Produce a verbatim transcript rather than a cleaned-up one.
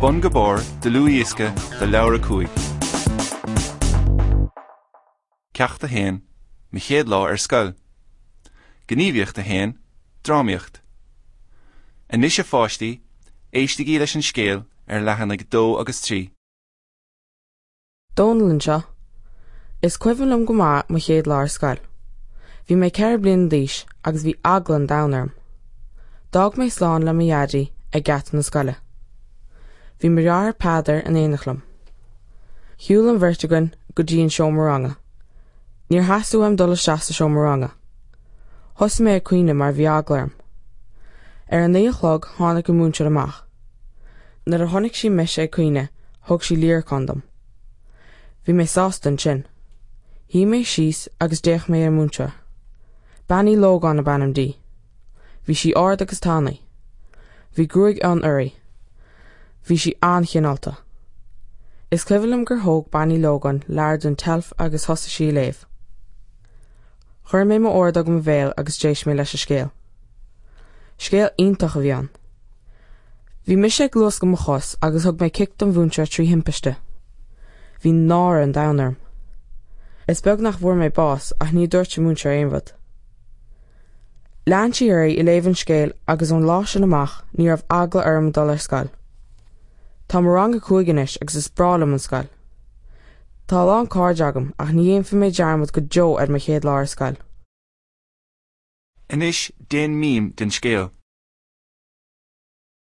Bun go Barr, dlúthdhiosca de leabhar a cúig. Ceacht a haon, Mo chéad lá ar scoil. Gníomhaíocht a haon, Drámaíocht. Anois a pháistí, éistigí leis an scéal ar leathanaigh dó agus trí. Dónall anseo. Is cuimhin liom go maith mo chéad lá ar scoil. Bhí mé ceithre bliana d'aois agus bhí eagla an domhain orm. D'fhág mé slán le mo dhaidí ag geata na scoile. Bhí mo dheartháir Peadar in éineacht liom. Shiúil an bheirt againn go dtí an seomra ranga. Níor theastaigh uaim dul isteach sa seomra ranga. Thosaigh mé ag caoineadh mar bhí eagla orm. Ar a naoi a chlog tháinig an múinteoir amach. Nuair a chonaic sí mise ag caoineadh, thug sí líreacán dom. Bhí mé sásta ansin. Shuigh mé síos agus d'fhéach mé ar an múinteoir. Bean Uí Lógáin ab ainm di. Bhí sí ard agus tanaí. Bhí gruaig fhionn uirthi. Bhí sí an-chineálta. Is cuimhin liom gur thóg Bean Uí Lógáin leabhar den tseilf agus thosaigh sí ag léamh. Chuir mé m'ordóg i mo bhéal agus d'éist mé leis an scéal. Scéal iontach a bhí ann. Bhí mise ag luascadh mo chos agus thug mé cic don mhúinteoir trí thimpiste. Bhí náire an domhain orm. Is beag nach bhfuair mé bás ach ní dúirt an múinteoir aon rud. Lean sí uirthi ag léamh an scéil agus ón lá sin amach ní raibh eagla orm dul ar scoil. Táim i rang a cúig anois agus is breá liom an scoil. Tá a lán cairde agam ach ní dhéanfaidh mé dearmad go deo ar mo chéad lá ar scoil. Anois déan mím den scéal.